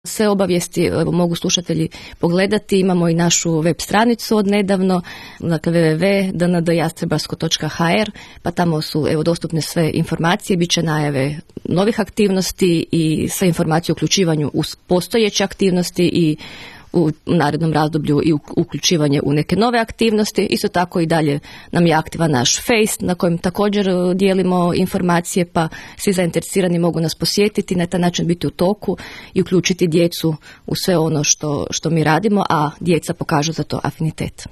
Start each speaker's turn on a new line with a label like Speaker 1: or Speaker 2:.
Speaker 1: Sve obavijesti mogu slušatelji pogledati. Imamo i našu web stranicu od nedavno, dakle www.dndjastrebarsko.hr, pa tamo su dostupne sve informacije, bit će najave novih aktivnosti i sve informacije o uključivanju u postojeće aktivnosti i u narednom razdoblju i uključivanje u neke nove aktivnosti. Isto tako i dalje nam je aktivan naš Face na kojem također dijelimo informacije, pa svi zainteresirani mogu nas posjetiti, na taj način biti u toku i uključiti djecu u sve ono što mi radimo, a djeca pokažu za to afinitet.